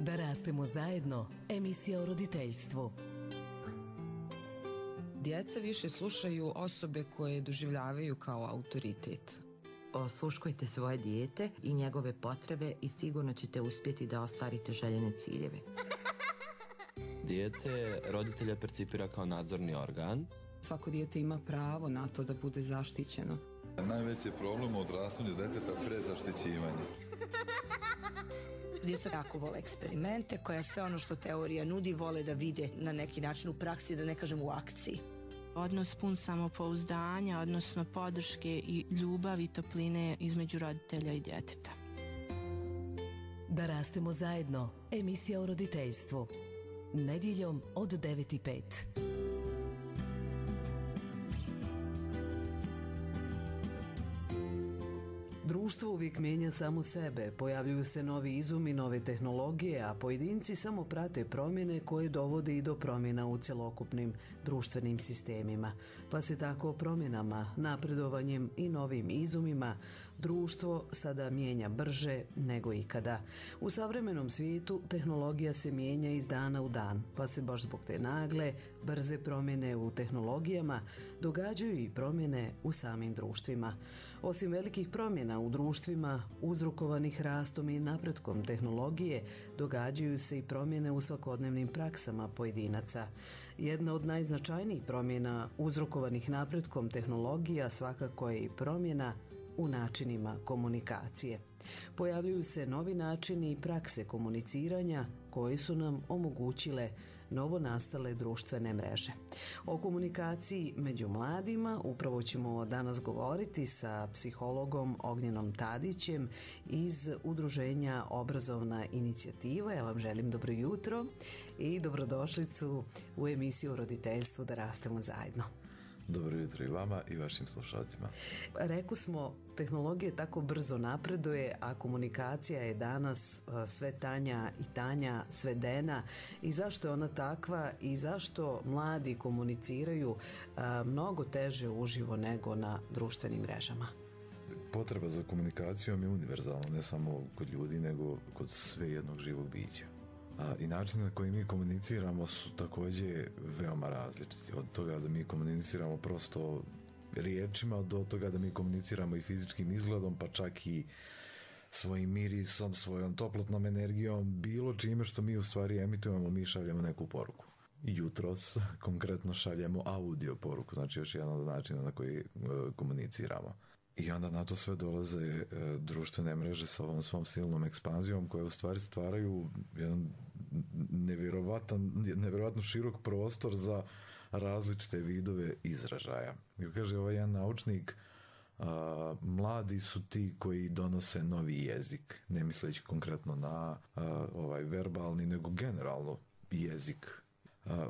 Da rastemo zajedno, emisija o roditeljstvu. Djeca više slušaju osobe koje doživljavaju kao autoritet. Osluškujte svoje dijete i njegove potrebe i sigurno ćete uspjeti da ostvarite željene ciljeve. Dijete roditelja percipira kao nadzorni organ. Svako dijete ima pravo na to da bude zaštićeno. Najveći problem u odrastanju djeteta prezaštićivanje. Djeca jako vole eksperimente, koja sve ono što teorija nudi vole da vide na neki način u praksi, da ne kažem u akciji. Odnos pun samopouzdanja, odnosno podrške i ljubavi i topline između roditelja i djeteta. Da rastemo zajedno, emisija o roditeljstvu. Nedjeljom od 9:05. Društvo uvijek mijenja samo sebe, pojavljuju se novi izumi, nove tehnologije, a pojedinci samo prate promjene koje dovode i do promjena u cjelokupnim društvenim sistemima. Pa se tako promjenama, napredovanjem i novim izumima društvo sada mijenja brže nego ikada. U savremenom svijetu tehnologija se mijenja iz dana u dan, pa se baš zbog te nagle, brze promjene u tehnologijama događaju i promjene u samim društvima. Osim velikih promjena u društvima uzrokovanih rastom i napretkom tehnologije, događaju se i promjene u svakodnevnim praksama pojedinaca. Jedna od najznačajnijih promjena uzrokovanih napretkom tehnologija svakako je i promjena u načinima komunikacije. Pojavljuju se novi načini i prakse komuniciranja koji su nam omogućile novonastale društvene mreže. O komunikaciji među mladima upravo ćemo danas govoriti sa psihologom Ognjenom Tadićem iz udruženja Obrazovna inicijativa. Ja vam želim dobro jutro i dobrodošlicu u emisiju o roditeljstvu Da rastemo zajedno. Dobro jutro i vama i vašim slušalcima. Rekli smo, tehnologija tako brzo napreduje, a komunikacija je danas sve tanja i tanja, svedena. I zašto je ona takva i zašto mladi komuniciraju mnogo teže uživo nego na društvenim mrežama? Potreba za komunikacijom je univerzalna, ne samo kod ljudi, nego kod sve jednog živog bića. I način na koji mi komuniciramo su također veoma različiti. Od toga da mi komuniciramo prosto riječima, do toga da mi komuniciramo i fizičkim izgledom, pa čak i svojim mirisom, svojom toplotnom energijom, bilo čime što mi u stvari emitujemo, mi šaljemo neku poruku. Jutros konkretno šaljemo audio poruku, znači još jedan od načina na koji komuniciramo. I onda na to sve dolaze društvene mreže sa ovom svom silnom ekspanzijom koje u stvari stvaraju jedan nevjerovatno širok prostor za različite vidove izražaja. Kako kaže ovaj jedan naučnik, mladi su ti koji donose novi jezik, ne misleći konkretno na verbalni, nego generalno jezik.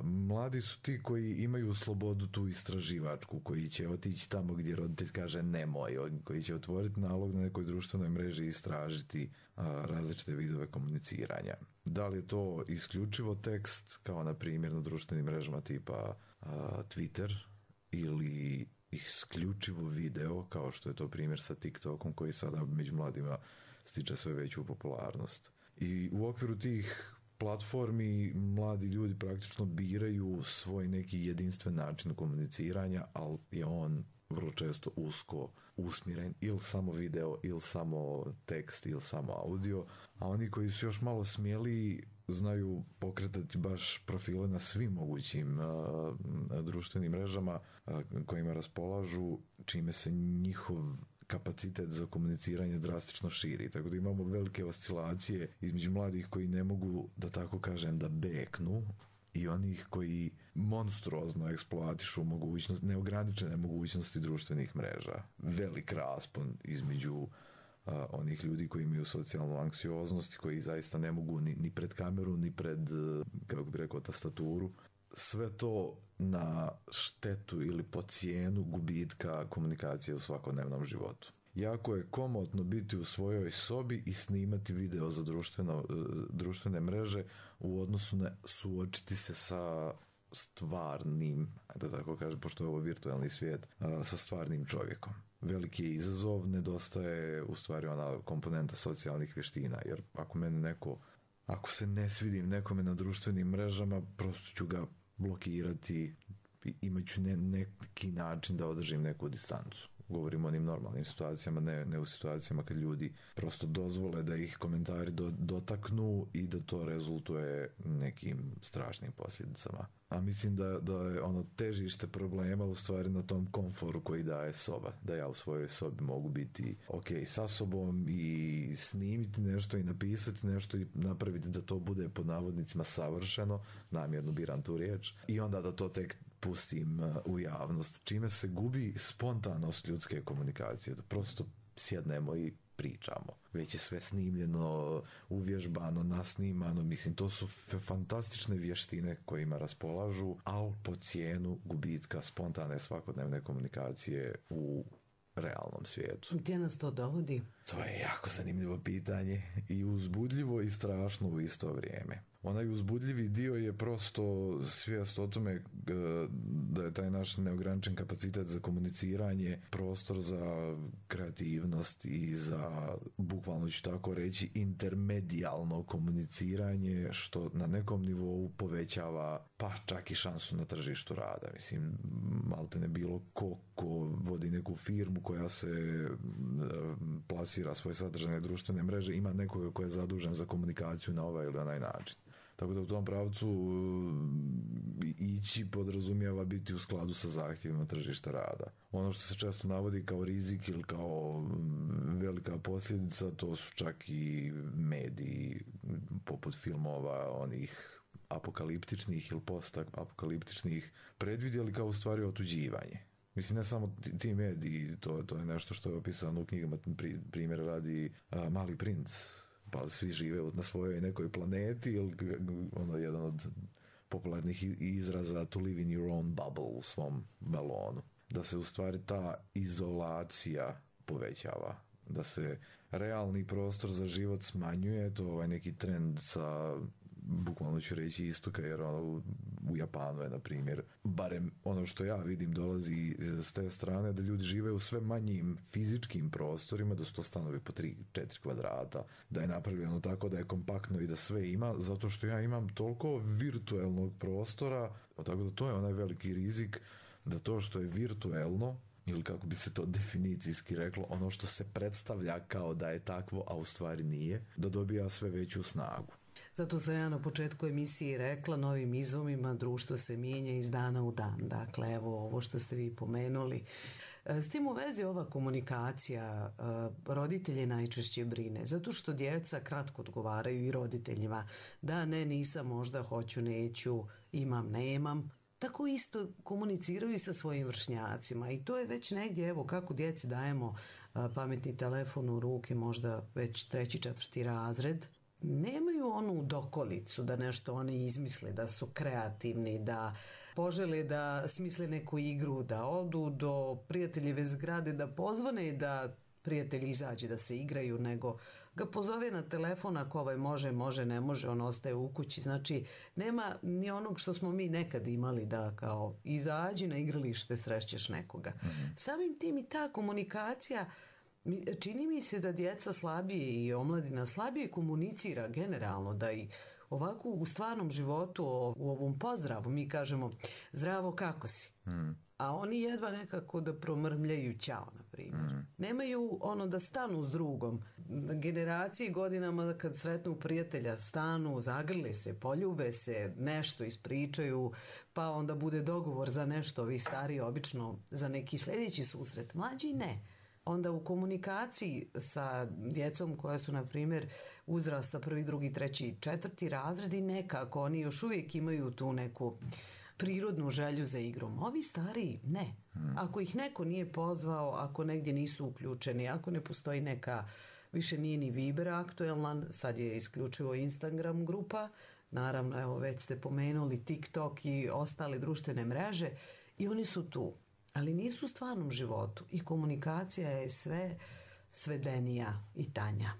Mladi su ti koji imaju slobodu tu istraživačku, koji će otići tamo gdje roditelj kaže nemoj, koji će otvoriti nalog na nekoj društvenoj mreži i istražiti različite vidove komuniciranja. Da li je to isključivo tekst, kao na primjer na društvenim mrežama tipa Twitter, ili isključivo video, kao što je to primjer sa TikTokom, koji sada među mladima stiče sve veću popularnost. I u okviru tih platformi mladi ljudi praktično biraju svoj neki jedinstven način komuniciranja, ali je on vrlo često usko usmjeren ili samo video, ili samo tekst, ili samo audio, a oni koji su još malo smjeli znaju pokretati baš profile na svim mogućim društvenim mrežama kojima raspolažu, čime se njihov kapacitet za komuniciranje drastično širi. Tako da imamo velike oscilacije između mladih koji ne mogu, da tako kažem, da beknu, i onih koji monstruozno eksploatišu neograničene mogućnosti društvenih mreža. Velik raspon između onih ljudi koji imaju socijalnu anksioznost i koji zaista ne mogu ni pred kameru, ni pred, kako bi rekao, tastaturu. Sve to na štetu ili po cijenu gubitka komunikacije u svakodnevnom životu. Jako je komotno biti u svojoj sobi i snimati video za društvene mreže u odnosu na suočiti se sa stvarnim, da tako kažem, pošto je ovo virtualni svijet, sa stvarnim čovjekom. Veliki je izazov, nedostaje u stvari ona komponenta socijalnih vještina, jer ako mene neko ako se ne svidim nekome na društvenim mrežama, prosto ću ga blokirati, imat ću neki način da održim neku distancu. Govorimo o onim normalnim situacijama, ne u situacijama kad ljudi prosto dozvole da ih komentari dotaknu i da to rezultuje nekim strašnim posljedicama. A mislim da je ono težište problema u stvari na tom komforu koji daje soba. Da ja u svojoj sobi mogu biti ok sa sobom i snimiti nešto i napisati nešto i napraviti da to bude pod navodnicima savršeno, namjerno biram tu riječ, i onda da to tek pustim u javnost, čime se gubi spontanost ljudske komunikacije, da prosto sjednemo i pričamo. Već je sve snimljeno, uvježbano, nasnimano, mislim, to su fantastične vještine kojima raspolažu, ali po cijenu gubitka spontane svakodnevne komunikacije u realnom svijetu. Gdje nas to dovodi? To je jako zanimljivo pitanje i uzbudljivo i strašno u isto vrijeme. Onaj uzbudljivi dio je prosto svijest o tome da je taj naš neograničen kapacitet za komuniciranje prostor za kreativnost i za, bukvalno ću tako reći, intermedijalno komuniciranje, što na nekom nivou povećava pa čak i šansu na tržištu rada. Mislim, malte ne bilo ko vodi neku firmu koja se plasira svoje sadržajne društvene mreže, ima nekoga ko je zadužen za komunikaciju na ovaj ili onaj način. Tako da u tom pravcu ići podrazumijeva biti u skladu sa zahtjevima tržišta rada. Ono što se često navodi kao rizik ili kao velika posljedica, to su čak i mediji poput filmova onih apokaliptičnih ili post-apokaliptičnih predvidjeli kao u stvari otuđivanje. Mislim, ne samo ti mediji, to je nešto što je opisano u knjigama, primjer radi Mali princ, pa svi žive na svojoj nekoj planeti, ili ono jedan od popularnih izraza to live in your own bubble, u svom balonu. Da se u stvari ta izolacija povećava, da se realni prostor za život smanjuje, to je ovaj neki trend sa, bukvalno ću reći, istoka, jer ono, u Japanu je, na primjer, barem ono što ja vidim dolazi s te strane, da ljudi žive u sve manjim fizičkim prostorima, da su to stanovi po 3-4 kvadrata, da je napravljeno tako da je kompaktno i da sve ima, zato što ja imam toliko virtualnog prostora, tako da to je onaj veliki rizik, da to što je virtuelno, ili kako bi se to definicijski reklo, ono što se predstavlja kao da je takvo, a u stvari nije, da dobija sve veću snagu. Zato sam ja na početku emisije rekla, novim izumima društvo se mijenja iz dana u dan. Dakle, evo ovo što ste vi pomenuli. S tim u vezi ova komunikacija roditelje najčešće brine, zato što djeca kratko odgovaraju i roditeljima. Da, ne, nisam, možda, hoću, neću, imam, nemam. Tako isto komuniciraju i sa svojim vršnjacima i to je već negdje, evo kako djeci dajemo pametni telefon u ruke, možda već 3. 4. razred, nemaju onu dokolicu da nešto oni izmisle, da su kreativni, da požele da smisle neku igru, da odu do prijateljeve zgrade, da pozvone da prijatelji izađe da se igraju, nego ga pozove na telefon, ako ovaj može, ne može, on ostaje u kući. Znači, nema ni onog što smo mi nekad imali, da kao izađi na igralište, srećeš nekoga. Samim tim i ta komunikacija, čini mi se da djeca slabije i omladina slabije komunicira generalno, da i ovako u stvarnom životu, u ovom pozdravu, mi kažemo zdravo, kako si? A oni jedva nekako da promrmljaju ćao, na primjer. Nemaju ono da stanu s drugom. Generacije godinama kad sretnu prijatelja stanu, zagrle se, poljube se, nešto ispričaju, pa onda bude dogovor za nešto, vi stari obično za neki sljedeći susret, mlađi ne. Onda u komunikaciji sa djecom koja su, na primjer, uzrasta 1., 2., 3., 4. razred i nekako oni još uvijek imaju tu neku prirodnu želju za igrom. Ovi stariji ne. Ako ih neko nije pozvao, ako negdje nisu uključeni, ako ne postoji neka, više nije ni Viber aktuelan, sad je isključivo Instagram grupa, naravno, evo već ste pomenuli TikTok i ostale društvene mreže, i oni su tu. Ali nisu u stvarnom životu i komunikacija je sve svedenija i tanja.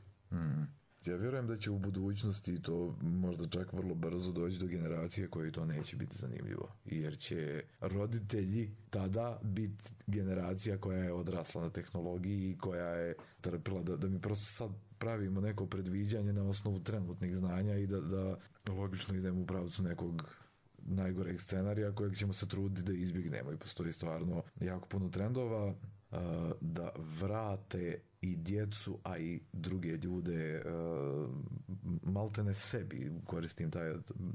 Ja vjerujem da će u budućnosti to možda čak vrlo brzo doći do generacije koji to neće biti zanimljivo. Jer će roditelji tada biti generacija koja je odrasla na tehnologiji i koja je trpila da mi prosto sad pravimo neko predviđanje na osnovu trenutnih znanja i da logično idemo u pravcu nekog najgoreg scenarija kojeg ćemo se truditi da izbjegnemo. I postoji stvarno jako puno trendova da vrate i djecu, a i druge ljude maltene sebi, koristim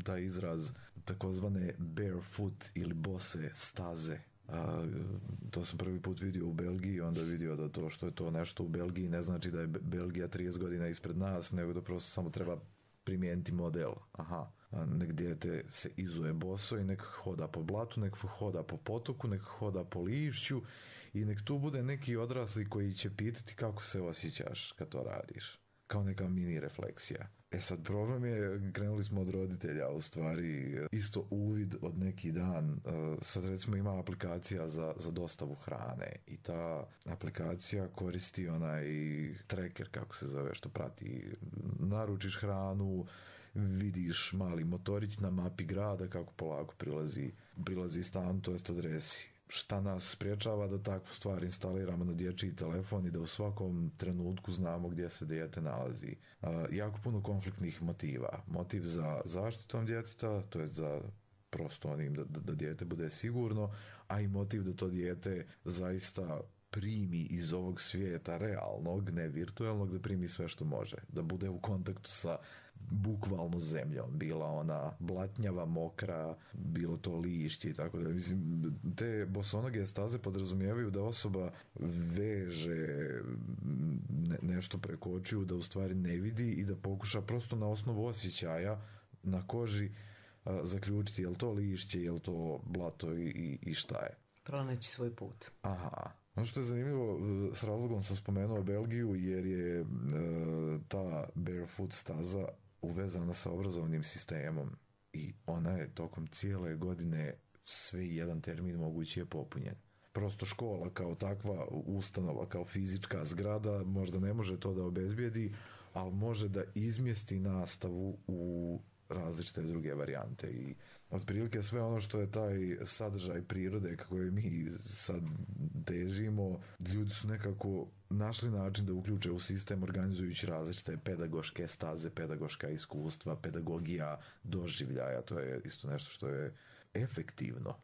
taj izraz, takozvane barefoot ili bose staze. To sam prvi put vidio u Belgiji, onda vidio da to što je to nešto u Belgiji ne znači da je Belgija 30 godina ispred nas, nego da prosto samo treba primijeniti model. Nek dijete se izuje boso i nek hoda po blatu, nek hoda po potoku, nek hoda po lišću i nek tu bude neki odrasli koji će pitati kako se osjećaš kad to radiš. Kao neka mini refleksija. Sad problem je, krenuli smo od roditelja, u stvari isto uvid od neki dan. Sad recimo ima aplikacija za dostavu hrane i ta aplikacija koristi onaj tracker, kako se zove, što prati. Naručiš hranu, vidiš mali motorić na mapi grada kako polako prilazi stan, to jest adresi. Šta nas spriječava da takvu stvar instaliramo na dječji telefon i da u svakom trenutku znamo gdje se dijete nalazi. Jako puno konfliktnih motiva. Motiv za zaštitom djeteta, to je za prosto onim da dijete bude sigurno, a i motiv da to dijete zaista primi iz ovog svijeta realnog, ne virtualnog, da primi sve što može. Da bude u kontaktu sa bukvalno zemljom, bila ona blatnjava, mokra, bilo to lišće i tako da. Mislim, te bosonoge staze podrazumijevaju da osoba veže nešto preko očiju, da u stvari ne vidi i da pokuša prosto na osnovu osjećaja na koži zaključiti je li to lišće, je li to blato i šta je. Pronaći svoj put. Aha. Ono što je zanimljivo, s razlogom sam spomenuo Belgiju, jer je ta barefoot staza uvezana sa obrazovnim sistemom i ona je tokom cijele godine sve jedan termin mogući je popunjen. Prosto škola kao takva ustanova, kao fizička zgrada možda ne može to da obezbijedi, ali može da izmjesti nastavu u različite druge varijante i otprilike sve ono što je taj sadržaj prirode kako je mi sad težimo, ljudi su nekako našli način da uključe u sistem organizujući različite pedagoške staze, pedagoška iskustva, pedagogija doživljaja, to je isto nešto što je efektivno.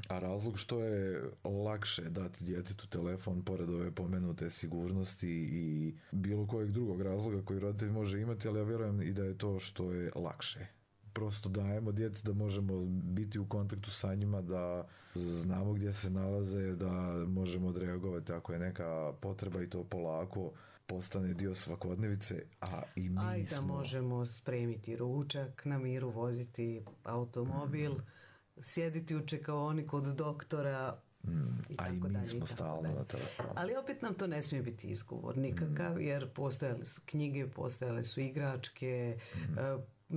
A razlog što je lakše dati djetetu telefon pored ove pomenute sigurnosti i bilo kojeg drugog razloga koji roditelj može imati, ali ja vjerujem i da je to što je lakše. Prosto dajemo djeci da možemo biti u kontaktu sa njima, da znamo gdje se nalaze, da možemo odreagovati ako je neka potreba i to polako postane dio svakodnevice, a i mi da možemo spremiti ručak, na miru voziti automobil, sjediti u čekaoni kod doktora, a i mi smo stalno na telefonu. Ali opet nam to ne smije biti izgovor nikakav, jer postojale su knjige, postojale su igračke,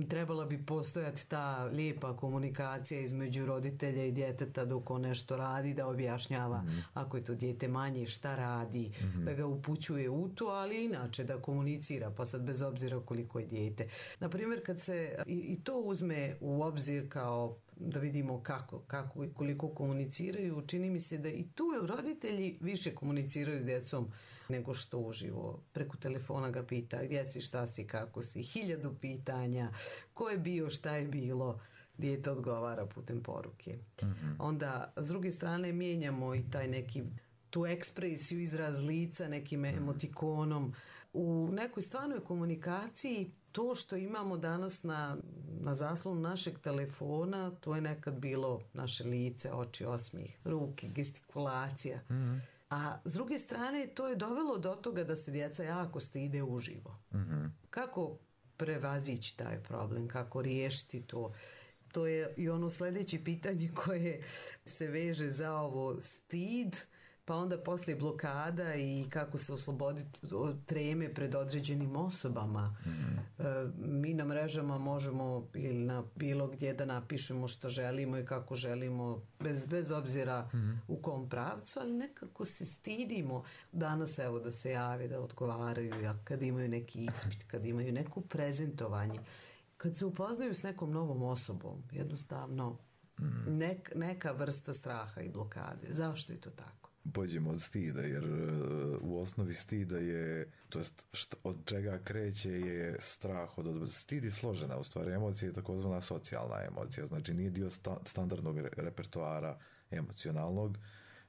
trebala bi postojati ta lijepa komunikacija između roditelja i djeteta dok on nešto radi, da objašnjava ako je to dijete manje šta radi, da ga upućuje u to, ali inače da komunicira, pa sad bez obzira koliko je dijete. Naprimjer, kad se i to uzme u obzir kao da vidimo kako i koliko komuniciraju, čini mi se da i tu roditelji više komuniciraju s djecom nego što uživo. Preko telefona ga pita gdje si, šta si, kako si, 1000 pitanja, ko je bio, šta je bilo, dijete odgovara putem poruke. Onda, s druge strane, mijenjamo i taj neki, tu ekspresiju, izraz lica nekim emotikonom. U nekoj stvarnoj komunikaciji to što imamo danas na zaslonu našeg telefona, to je nekad bilo naše lice, oči, osmijeh, ruke, gestikulacija. A s druge strane to je dovelo do toga da se djeca jako stide uživo. Kako prevazići taj problem, kako riješiti to? To je i ono sljedeće pitanje koje se veže za ovo stid, pa onda poslije blokada i kako se osloboditi od treme pred određenim osobama. Mi na mrežama možemo ili na bilo gdje da napišemo što želimo i kako želimo, bez obzira u kom pravcu, ali nekako se stidimo danas evo da se jave, da odgovaraju, kad imaju neki ispit, kad imaju neko prezentovanje, kad se upoznaju s nekom novom osobom, jednostavno neka vrsta straha i blokade. Zašto je to tako? Pođemo od stida, jer u osnovi stida je, to jest od čega kreće je strah od stid je složena, u stvari emocija je takozvana socijalna emocija, znači nije dio standardnog repertoara emocionalnog,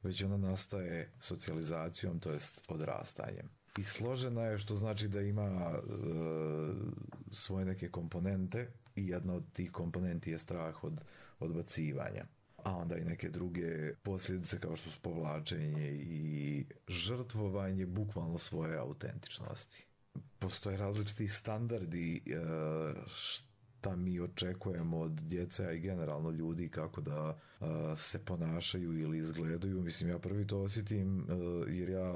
već ona nastaje socijalizacijom, to jest odrastanjem. I složena je, što znači da ima svoje neke komponente i jedna od tih komponenti je strah od odbacivanja. A onda i neke druge posljedice kao što su povlačenje i žrtvovanje bukvalno svoje autentičnosti. Postoje različiti standardi šta mi očekujemo od djece, a i generalno ljudi kako da se ponašaju ili izgledaju. Mislim, ja prvi to osjetim jer ja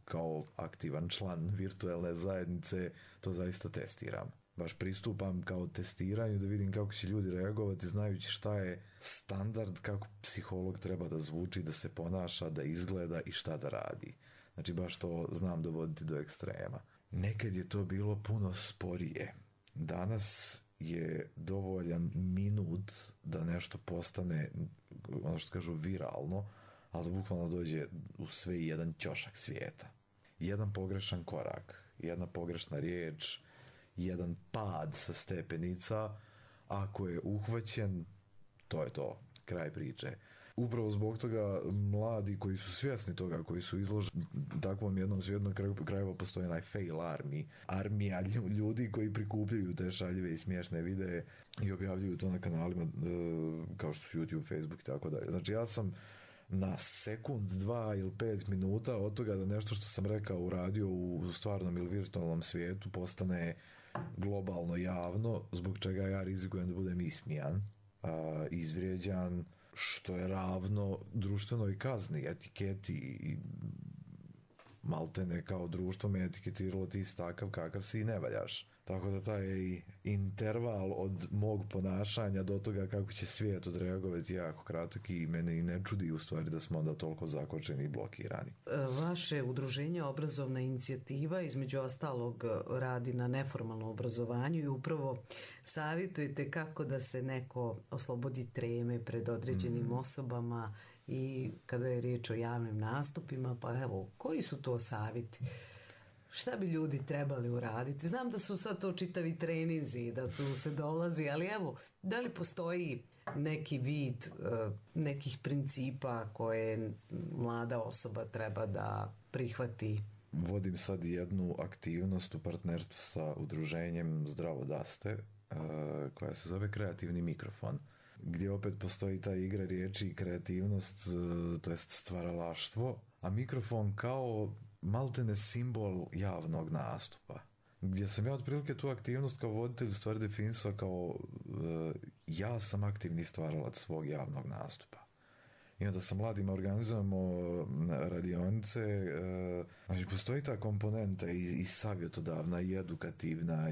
kao aktivan član virtualne zajednice to zaista testiram. Baš pristupam kao testiranju da vidim kako će ljudi reagovati, znajući šta je standard, kako psiholog treba da zvuči, da se ponaša, da izgleda i šta da radi. Znači baš to znam dovoditi do ekstrema. Nekad je to bilo puno sporije. Danas je dovoljan minut da nešto postane, ono što kažu, viralno, ali da bukvalno dođe u sve jedan ćošak svijeta. Jedan pogrešan korak, jedna pogrešna riječ, jedan pad sa stepenica, ako je uhvaćen, to je to, kraj priče. Upravo zbog toga mladi koji su svjesni toga, koji su izloženi takvom jednom svijetu, na kraju postoji onaj fail armija ljudi koji prikupljaju te šaljive i smiješne videe i objavljuju to na kanalima kao što su YouTube, Facebook i tako dalje. Znači ja sam na sekund, 2 ili 5 minuta od toga da nešto što sam rekao uradio u stvarnom ili virtualnom svijetu postane globalno javno, zbog čega ja rizikujem da budem ismijan, izvrijeđan, što je ravno društvenoj kazni, etiketi i maltene kao društvo me etiketiralo ti si takav kakav si i ne valjaš. Tako da taj interval od mog ponašanja do toga kako će svijet odreagovati jako kratak i mene i ne čudi u stvari da smo onda toliko zakočeni i blokirani. Vaše udruženje Obrazovna inicijativa između ostalog radi na neformalnom obrazovanju i upravo savjetujete kako da se neko oslobodi treme pred određenim osobama i kada je riječ o javnim nastupima, pa evo, koji su to savjeti? Šta bi ljudi trebali uraditi? Znam da su sad to čitavi trenizi, da tu se dolazi, ali evo, da li postoji neki vid nekih principa koje mlada osoba treba da prihvati? Vodim sad jednu aktivnost u partnerstvu sa udruženjem Zdravo Daste, koja se zove Kreativni mikrofon, gdje opet postoji ta igra riječi i kreativnost, to jest stvaralaštvo, a mikrofon kao maltene simbol javnog nastupa. Gdje sam ja otprilike tu aktivnost kao voditelj u stvari definisao kao ja sam aktivni stvaralac svog javnog nastupa. I onda sa mladima organizujemo radionice, znači postoji ta komponenta i savjetodavna i edukativna,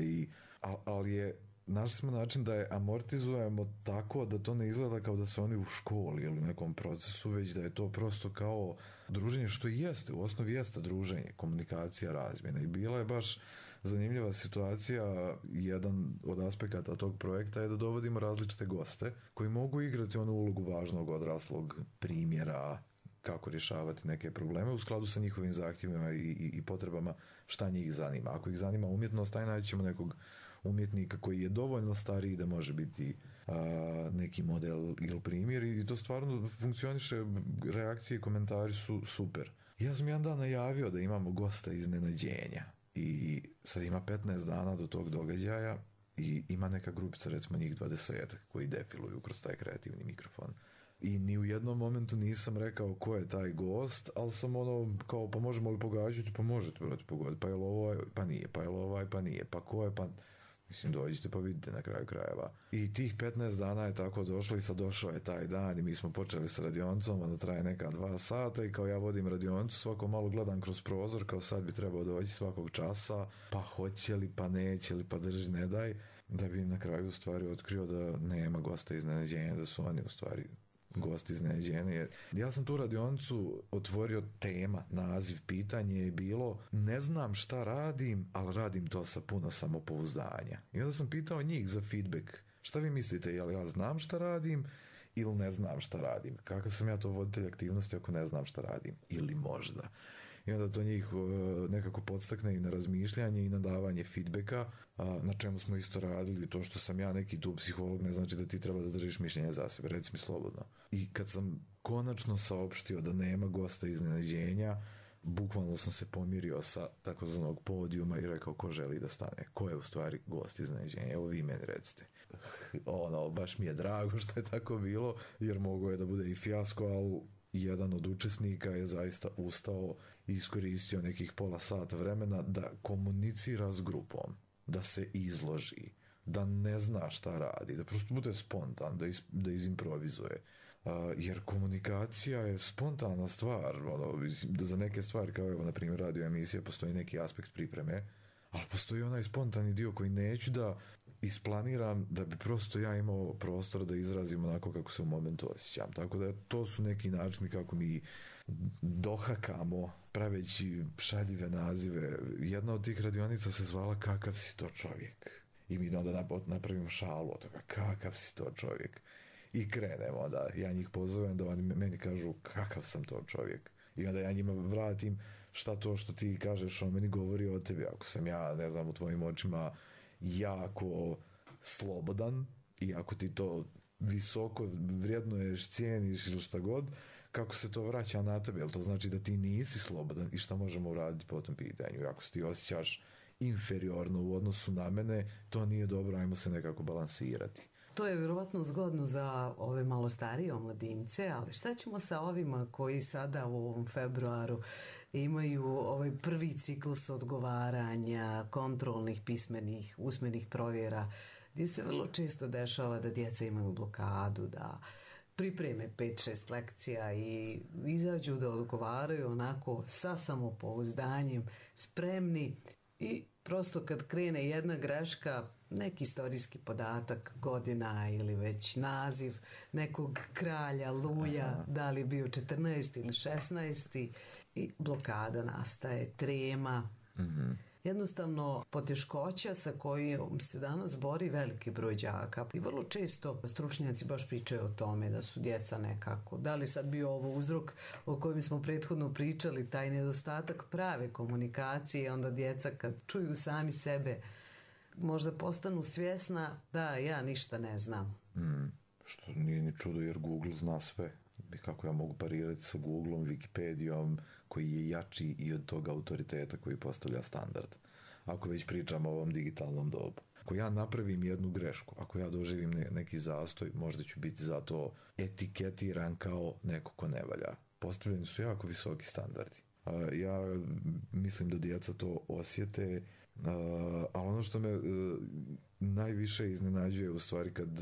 ali je našli smo način da je amortizujemo tako da to ne izgleda kao da su oni u školi ili u nekom procesu, već da je to prosto kao druženje, što i jeste, u osnovi jeste druženje, komunikacija, razmjena. I bila je baš zanimljiva situacija, jedan od aspekata tog projekta je da dovodimo različite goste koji mogu igrati onu ulogu važnog odraslog primjera kako rješavati neke probleme u skladu sa njihovim zahtjevima i potrebama šta njih zanima. Ako ih zanima umjetnost, taj naći ćemo nekog umjetnika koji je dovoljno stariji da može biti neki model ili primjer i to stvarno funkcioniše, reakcije i komentari su super. Ja sam jedan dan najavio da imamo gosta iznenađenja i sad ima 15 dana do tog događaja i ima neka grupica, recimo njih 20 koji defiluju kroz taj kreativni mikrofon. I ni u jednom momentu nisam rekao ko je taj gost, ali sam kao, pa možemo li pogađati? Pa možete, brate, pogoditi. Pa je li ovaj? Pa nije. Pa je li ovaj? Pa nije. Pa ko je? Pa... Mislim, dođite pa vidite na kraju krajeva. I tih 15 dana je tako došlo i sad došao je taj dan i mi smo počeli sa radionicom, onda traje neka 2 sata i kao ja vodim radionicu, svako malo gledam kroz prozor, kao sad bi trebao doći svakog časa, pa hoće li, pa neće li, pa drži, ne daj, da bi na kraju u stvari otkrio da nema gosta iznenađenja, da su oni u stvari gosti iznenađenja. Ja sam tu radionicu otvorio tema, naziv, pitanje je bilo ne znam šta radim, ali radim to sa puno samopouzdanja. I onda sam pitao njih za feedback. Šta vi mislite, jel ja znam šta radim ili ne znam šta radim? Kakav sam ja to voditelj aktivnosti ako ne znam šta radim? Ili možda. I onda to njih nekako podstakne i na razmišljanje i na davanje feedbacka, na čemu smo isto radili. To što sam ja neki tu psiholog ne znači da ti treba da držiš mišljenje za sebe, reci mi slobodno. I kad sam konačno saopštio da nema gosta iznenađenja, bukvalno sam se pomirio sa takozvanog podijuma i rekao ko želi da stane, ko je u stvari gost iznenađenja, evo vi meni recite. Baš mi je drago što je tako bilo, jer mogo je da bude i fijasko, ali jedan od učesnika je zaista ustao i iskoristio nekih pola sata vremena da komunicira s grupom, da se izloži, da ne zna šta radi, da prosto bude spontan, da izimprovizuje. Jer komunikacija je spontana stvar, da za neke stvari, kao evo na primjer radio emisije, postoji neki aspekt pripreme, ali postoji onaj spontani dio koji neću da isplaniram, da bi prosto ja imao prostor da izrazim onako kako se u momentu osjećam. Tako da to su neki načini kako mi dohakamo praveći šaljive nazive. Jedna od tih radionica se zvala Kakav si to čovjek? I mi onda napravimo šalu od toga, kakav si to čovjek? I krenemo da ja njih pozovem da oni meni kažu kakav sam to čovjek. I onda ja njima vratim šta to što ti kažeš o meni govori o tebi. Ako sam ja, ne znam, u tvojim očima jako slobodan i ako ti to visoko vrijednuješ, cijeniš ili šta god, kako se to vraća na tebe? Jel to znači da ti nisi slobodan i šta možemo uraditi po tom pitanju? I ako se ti osjećaš inferiorno u odnosu na mene, to nije dobro, ajmo se nekako balansirati. To je vjerovatno zgodno za ove malo starije omladince, ali šta ćemo sa ovima koji sada u ovom februaru imaju ovaj prvi ciklus odgovaranja, kontrolnih, pismenih, usmenih provjera, gdje se vrlo često dešava da djeca imaju blokadu, da pripreme 5-6 lekcija i izađu da odgovaraju onako sa samopouzdanjem, spremni i prosto kad krene jedna greška, neki istorijski podatak, godina ili već naziv nekog kralja, Luja, da li bio 14. ili 16. i blokada nastaje, trema. Jednostavno poteškoća sa kojom se danas bori veliki broj đaka i vrlo često stručnjaci baš pričaju o tome da su djeca nekako, da li sad bio ovo uzrok o kojem smo prethodno pričali, taj nedostatak prave komunikacije, onda djeca kad čuju sami sebe možda postanu svjesna da ja ništa ne znam. Što nije ni čudo jer Google zna sve. I kako ja mogu parirati sa Googleom, Wikipedijom koji je jači i od tog autoriteta koji postavlja standard. Ako već pričamo o ovom digitalnom dobu. Ako ja napravim jednu grešku, ako ja doživim neki zastoj, možda ću biti zato etiketiran kao neko ko ne valja. Postavljeni su jako visoki standardi. Ja mislim da djeca to osjete, ali ono što me najviše iznenađuje u stvari kad,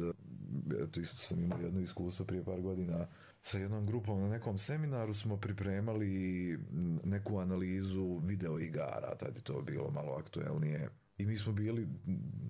eto isto sam imao jedno iskustvo prije par godina sa jednom grupom na nekom seminaru smo pripremali neku analizu video igara, tad je to bilo malo aktuelnije. I mi smo bili,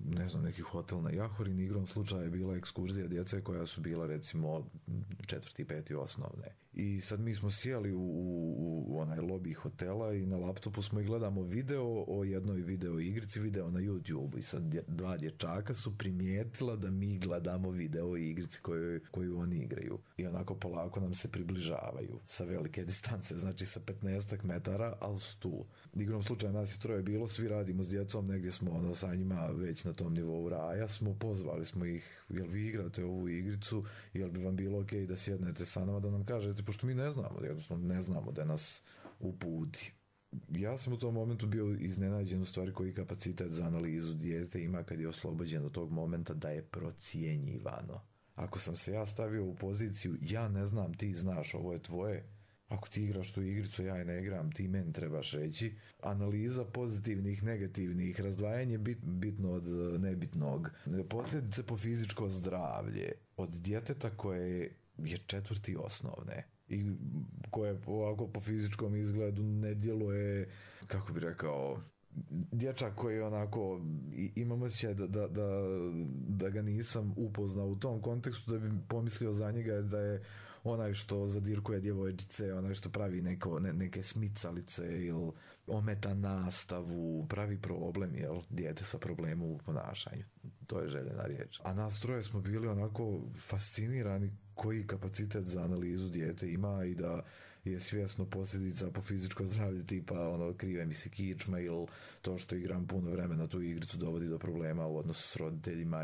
ne znam, neki hotel na Jahorini, igrom slučaja je bila ekskurzija djece koja su bila recimo 4. i 5. osnovne. I sad mi smo sjeli u onaj lobby hotela i na laptopu smo i gledamo video o jednoj video igrici, video na YouTube. I sad 2 dječaka su primijetila da mi gledamo video igrici koju oni igraju. I onako polako nam se približavaju sa velike distance, znači sa 15 metara, ali su tu. Igrom slučaja nas je 3 bilo, svi radimo s djecom, negdje smo sa njima već na tom nivou raja, pozvali smo ih, jel vi igrate ovu igricu, jel bi vam bilo ok da sjednete sa nama da nam kažete, pošto mi ne znamo, jednostavno ne znamo da nas uputi. Ja sam u tom momentu bio iznenađen u stvari koji kapacitet za analizu dijete ima kad je oslobođen od tog momenta da je procjenjivano. Ako sam se ja stavio u poziciju, ja ne znam, ti znaš, ovo je tvoje, Ako ti igraš tu igricu, ja je ne igram, ti meni trebaš reći. Analiza pozitivnih, negativnih, razdvajanje bitno od nebitnog. Posljedice po fizičko zdravlje od djeteta koje je 4. osnovne i koje ovako po fizičkom izgledu ne djeluje, kako bi rekao, dječak koji onako imam osjećaj da ga nisam upoznao u tom kontekstu, da bi pomislio za njega da je onaj što zadirkuje djevojčice, onaj što pravi neke smicalice ili ometa nastavu, pravi problem, jel, dijete sa problemom u ponašanju. To je željena riječ. A nas troje smo bili onako fascinirani koji kapacitet za analizu dijete ima i da je svjesno posljedica po fizičko zdravlje, tipa ono, krive mi se kičma ili to što igram puno vremena tu igricu dovodi do problema u odnosu s roditeljima,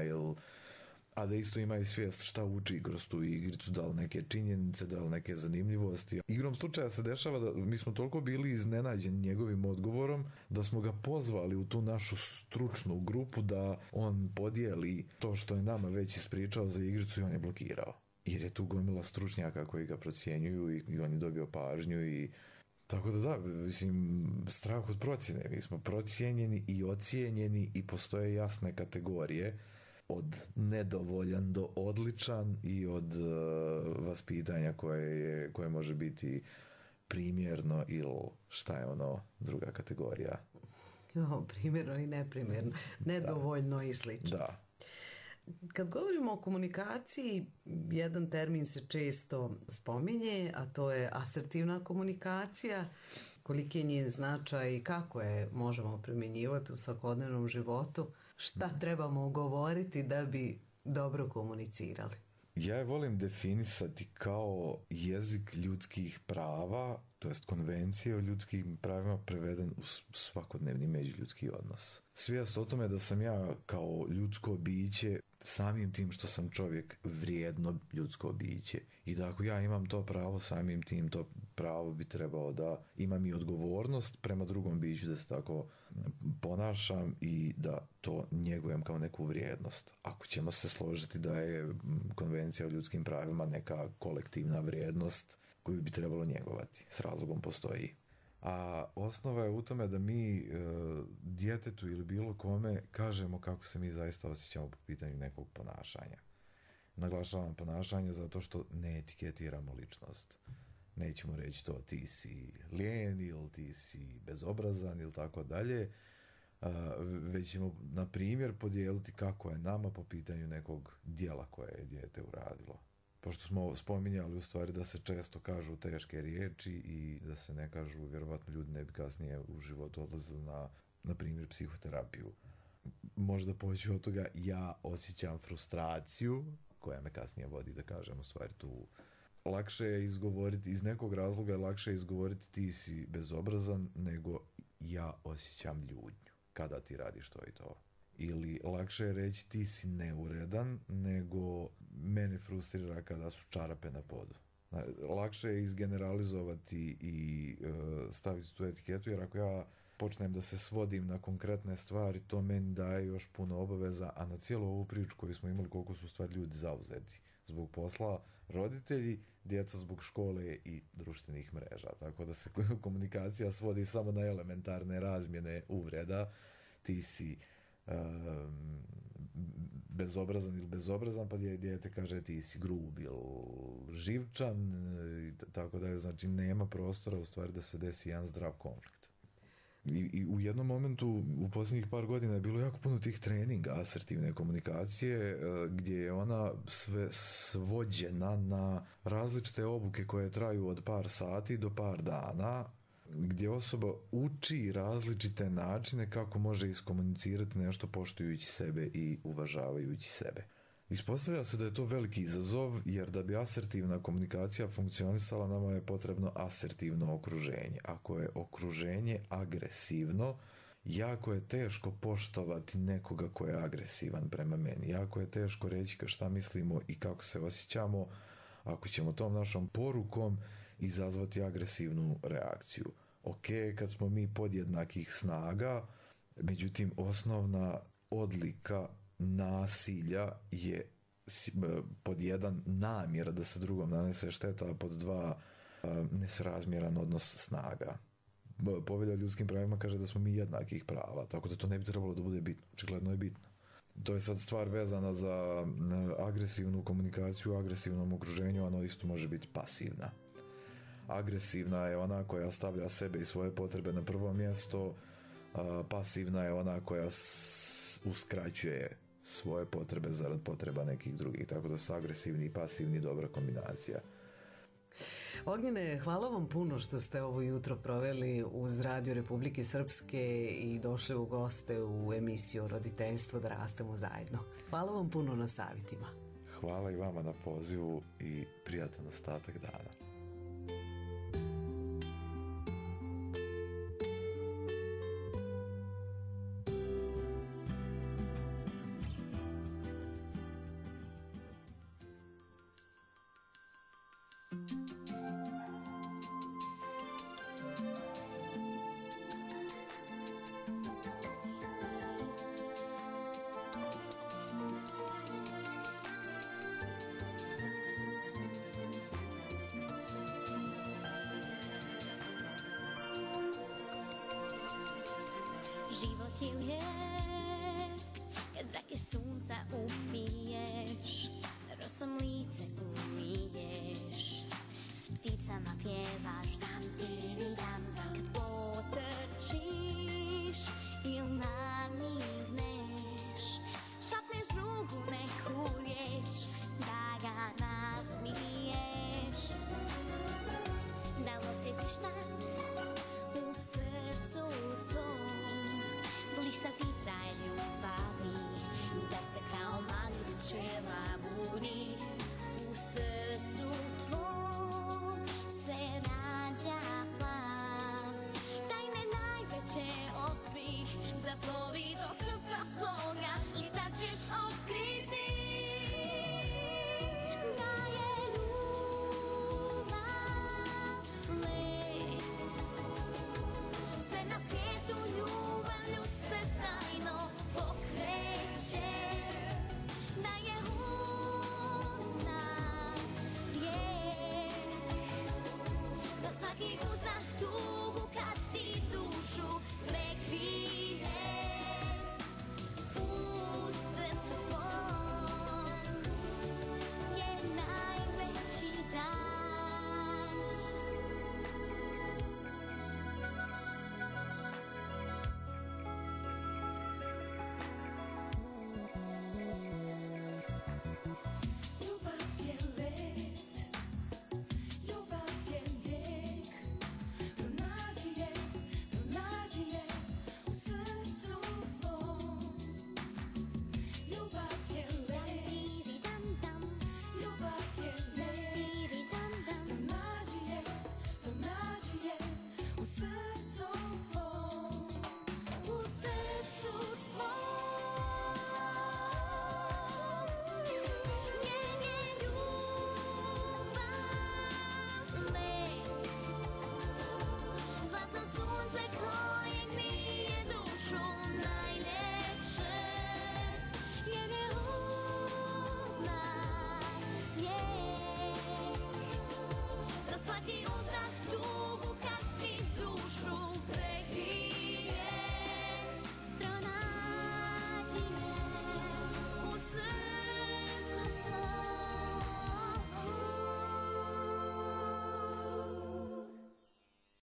a da isto ima i svijest šta uči kroz tu igricu, da li neke činjenice, da li neke zanimljivosti. Igrom slučaja se dešava da mi smo toliko bili iznenađeni njegovim odgovorom da smo ga pozvali u tu našu stručnu grupu da on podijeli to što je nama već ispričao za igricu i on je blokirao. Jer je tu gomila stručnjaka koji ga procjenjuju i on je dobio pažnju i tako da, mislim, strah od procjene. Mi smo procijenjeni i ocijenjeni i postoje jasne kategorije od nedovoljan do odličan i od vaspitanja koje može biti primjerno ili šta je ono druga kategorija. Primjerno i neprimjerno, nedovoljno i slično. Da. Kad govorimo o komunikaciji, jedan termin se često spominje, a to je asertivna komunikacija. Koliki je njen značaj i kako je možemo primjenjivati u svakodnevnom životu? Šta trebamo govoriti da bi dobro komunicirali? Ja je volim definisati kao jezik ljudskih prava, to jest konvencije o ljudskim pravima preveden u svakodnevni međuljudski odnos. Svijest o tome da sam ja kao ljudsko biće, samim tim što sam čovjek, vrijedno ljudsko biće i da ako ja imam to pravo, samim tim to pravo bi trebao da imam i odgovornost prema drugom biću, da se tako ponašam i da to njegujem kao neku vrijednost. Ako ćemo se složiti da je konvencija o ljudskim pravima neka kolektivna vrijednost koju bi trebalo njegovati, s razlogom postoji. A osnova je u tome da mi djetetu ili bilo kome kažemo kako se mi zaista osjećamo po pitanju nekog ponašanja. Naglašavam ponašanje zato što ne etiketiramo ličnost. Nećemo reći to ti si lijen ili ti si bezobrazan ili tako dalje, već ćemo na primjer podijeliti kako je nama po pitanju nekog djela koje je dijete uradilo. Pošto smo spominjali u stvari da se često kažu teške riječi i da se ne kažu, vjerovatno ljudi ne bi kasnije u životu odlazili na primjer psihoterapiju. Možda poći od toga ja osjećam frustraciju koja me kasnije vodi da kažem u stvari tu. Lakše je izgovoriti, iz nekog razloga je lakše izgovoriti ti si bezobrazan nego ja osjećam ljutnju kada ti radiš to i to. Ili lakše je reći ti si neuredan nego mene frustrira kada su čarape na podu. Lakše je izgeneralizovati i staviti tu etiketu, jer ako ja počnem da se svodim na konkretne stvari, to meni daje još puno obaveza, a na cijelu ovu priču koju smo imali koliko su stvari ljudi zauzeti. Zbog posla, roditelji, djeca zbog škole i društvenih mreža. Tako da se komunikacija svodi samo na elementarne razmjene uvreda. Ti si bezobrazan ili bezobrazan, pa dijete kaže ti si grub ili živčan, tako da je, znači nema prostora u stvari da se desi jedan zdrav konflikt. I u jednom momentu u posljednjih par godina je bilo jako puno tih treninga asertivne komunikacije gdje je ona sve svođena na različite obuke koje traju od par sati do par dana, gdje osoba uči različite načine kako može iskomunicirati nešto poštujući sebe i uvažavajući sebe. Ispostavlja se da je to veliki izazov, jer da bi asertivna komunikacija funkcionisala, nama je potrebno asertivno okruženje. Ako je okruženje agresivno, jako je teško poštovati nekoga ko je agresivan prema meni. Jako je teško reći šta mislimo i kako se osjećamo ako ćemo tom našom porukom izazvati agresivnu reakciju. Ok, kad smo mi podjednakih snaga, međutim osnovna odlika nasilja je pod jedan namjera da se drugom nanese šteta, a pod dva nesrazmjeran odnos snaga. Povelja o ljudskim pravima kaže da smo mi jednakih prava, tako da to ne bi trebalo da bude bitno. Očigledno je bitno. To je sad stvar vezana za agresivnu komunikaciju u agresivnom okruženju, ono isto može biti pasivna. Agresivna je ona koja stavlja sebe i svoje potrebe na prvo mjesto, pasivna je ona koja uskraćuje svoje potrebe zarad potreba nekih drugih, tako da su agresivni i pasivni dobra kombinacija. Ognjene, hvala vam puno što ste ovo jutro proveli uz Radio Republike Srpske i došli u goste u emisiju Roditeljstvo da rastemo zajedno. Hvala vam puno na savjetima. Hvala i vama na pozivu i prijatan ostatak dana. Život je lijep kad zrake sunca upiješ, rosom lice umiješ, s pticama pjevaš dam tiri dam dam. Kad potrčiš ili namigneš, šapneš drugu neku riječ da ga nasmiješ, da osjetiš tad u srcu svom blista vitra ljubavi, da se kao mali duševa budi u srcu tvom se rađa plan, tajne najveće od svih zaplovi do srca svoga i tad ćeš otkriti